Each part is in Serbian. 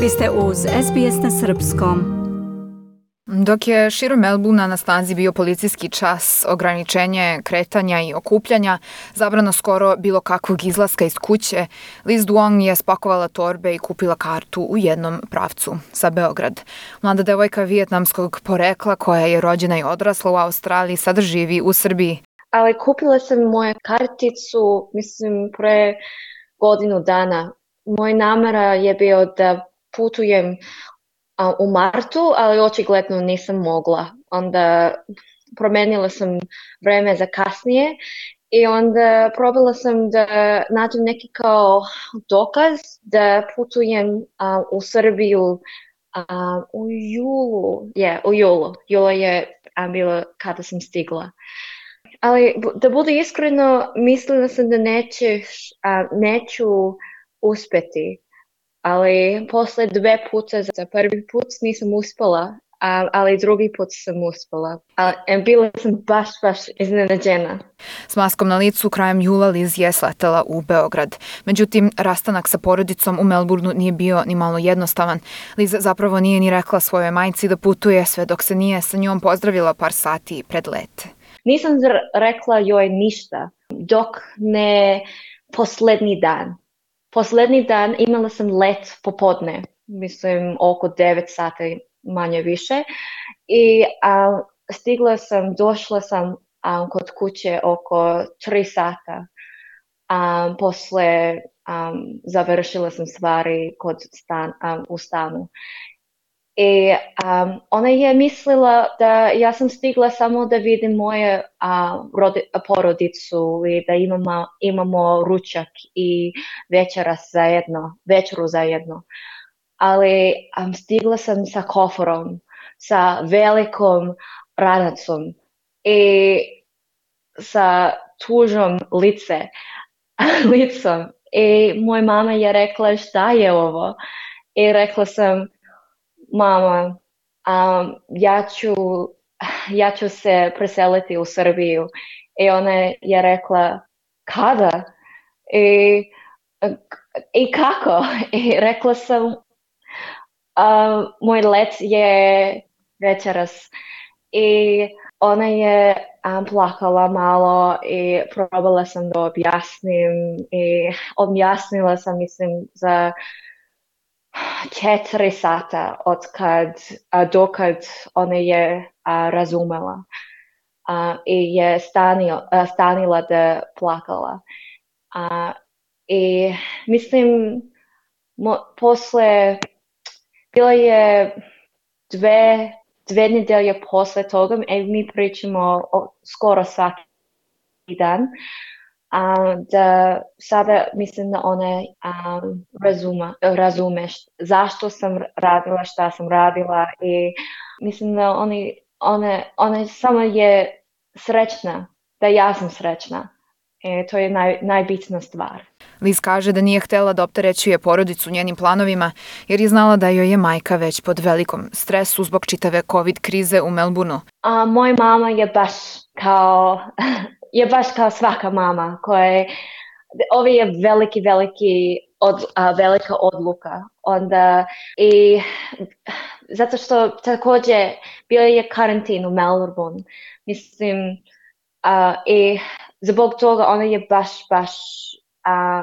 Vi ste uz SBS na srpskom. Dok je širom Melbournea na snazi bio policijski čas, ograničenje kretanja i okupljanja, zabrano skoro bilo kakvog izlaska iz kuće, Liz Duong je spakovala torbe i kupila kartu u jednom pravcu za Beograd. Mlada devojka vijetnamskog porekla koja je rođena i odrasla u Australiji sada živi u Srbiji. Ali kupila sam moju karticu, pre godinu dana. Moj namera je bio da putujem u martu, ali očigledno nisam mogla. Onda promenila sam vreme za kasnije i onda probala sam da nađem neki kao dokaz da putujem u Srbiju u julu. U julu. Jula je bilo kada sam stigla. Ali da budu iskreno, mislila sam da neću uspjeti. Ali posle 2 puta za prvi put nisam uspela, ali drugi put sam uspela. Bila sam baš iznenađena. S maskom na licu krajem jula Liz je sletela u Beograd. Međutim, rastanak sa porodicom u Melbourneu nije bio ni malo jednostavan. Liz zapravo nije ni rekla svojoj majci da putuje sve dok se nije sa njom pozdravila par sati pred let. Nisam rekla joj ništa dok ne poslednji dan. Poslednji dan imala sam let popodne, oko 9 sati manje više i došla sam kod kuće oko 3 sata. Posle završila sam stvari u stanu. I ona je mislila da ja sam stigla samo da vidim moje porodicu i da imamo ručak i večeru zajedno. Ali stigla sam sa koforom, sa velikom ranacom i sa tužom licom. I moja mama je rekla šta je ovo? I rekla sam, mama, ja ću se preseliti u Srbiju. I ona je rekla, kada? I kako? I rekla sam, moj let je večeras. I ona je plakala malo i probala sam da objasnim. I objasnila sam, za 4 sata dokad ona je razumela i je stanila da plakala. I posle bila je 2 nedelje posle toga i mi pričamo skoro svaki dan. Da sada mislim da ona razume zašto sam radila, šta sam radila i mislim da ona samo je srećna, da ja sam srećna. I to je najbitnija stvar. Liz kaže da nije htela da opterećuje porodicu njenim planovima jer je znala da joj je majka već pod velikom stresu zbog čitave COVID krize u Melbourneu. Moja mama je baš kao svaka mama ovo je velika odluka. Onda i zato što također bio je karantin u Melbourneu. I zbog toga ona je baš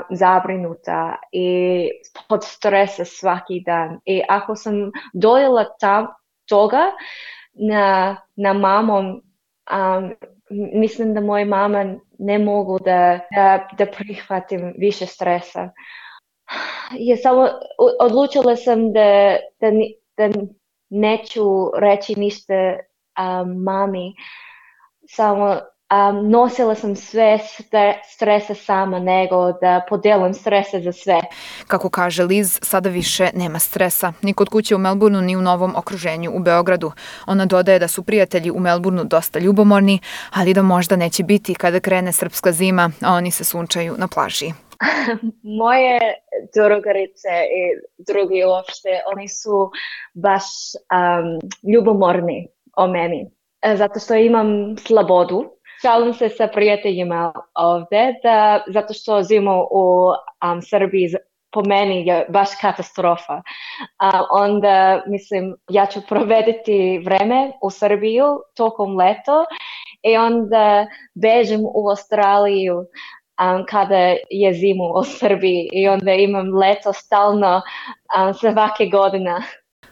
zabrinuta i pod stresa svaki dan. I ako sam dojela toga na mamom, mislim da moja mama ne mogu da prihvatim više stresa. Odlučila sam da neću reći ništa mami. Samo nosila sam sve stresa sama nego da podelim strese za sve. Kako kaže Liz, sada više nema stresa. Ni kod kuće u Melbourneu, ni u novom okruženju u Beogradu. Ona dodaje da su prijatelji u Melbourneu dosta ljubomorni, ali da možda neće biti kada krene srpska zima, a oni se sunčaju na plaži. Moje drugarice i drugi uopšte, oni su baš ljubomorni o meni. Zato što imam slobodu. Šalim se sa prijateljima ovde, zato što živimo u Srbiji po meni je baš katastrofa. A onda, mislim, ja ću provediti vreme u Srbiju tokom leto i onda bežem u Australiju kada je zimu u Srbiji i onda imam leto stalno svake godine.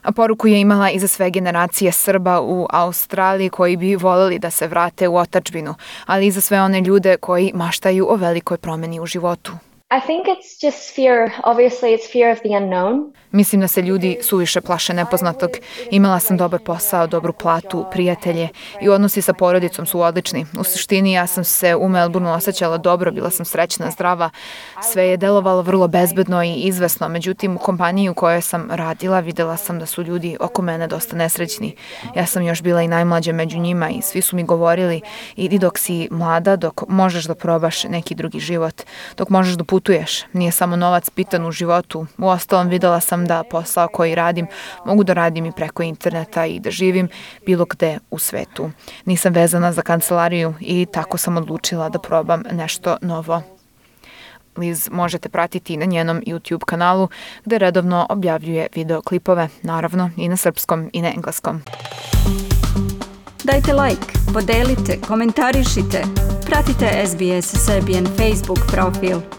A poruku je imala i za sve generacije Srba u Australiji koji bi voljeli da se vrate u otadžbinu, ali i za sve one ljude koji maštaju o velikoj promeni u životu. I think it's just fear. Obviously, it's fear of the unknown. Mislim da se ljudi suviše plaše nepoznatog. Imala sam dobar posao, dobru platu, prijatelje i odnosi sa porodicom su odlični. U suštini ja sam se u Melbourneu osjećala dobro, bila sam srećna, zdrava. Sve je delovalo vrlo bezbedno i izvesno. Međutim, u kompaniji u kojoj sam radila videla sam da su ljudi oko mene dosta nesrećni. Ja sam još bila i najmlađa među njima i svi su mi govorili idi dok si mlada, dok možeš da probaš neki drugi život, dok možeš da putuješ. Nije samo novac bitan u životu. Uostalom videla sam da posao koji radim mogu da radim i preko interneta i da živim bilo gde u svetu. Nisam vezana za kancelariju i tako sam odlučila da probam nešto novo. Liz možete pratiti na njenom YouTube kanalu gde redovno objavljuje videoklipove, naravno i na srpskom i na engleskom. Dajte like, podelite, komentarišite. Pratite SBS Serbian Facebook profil.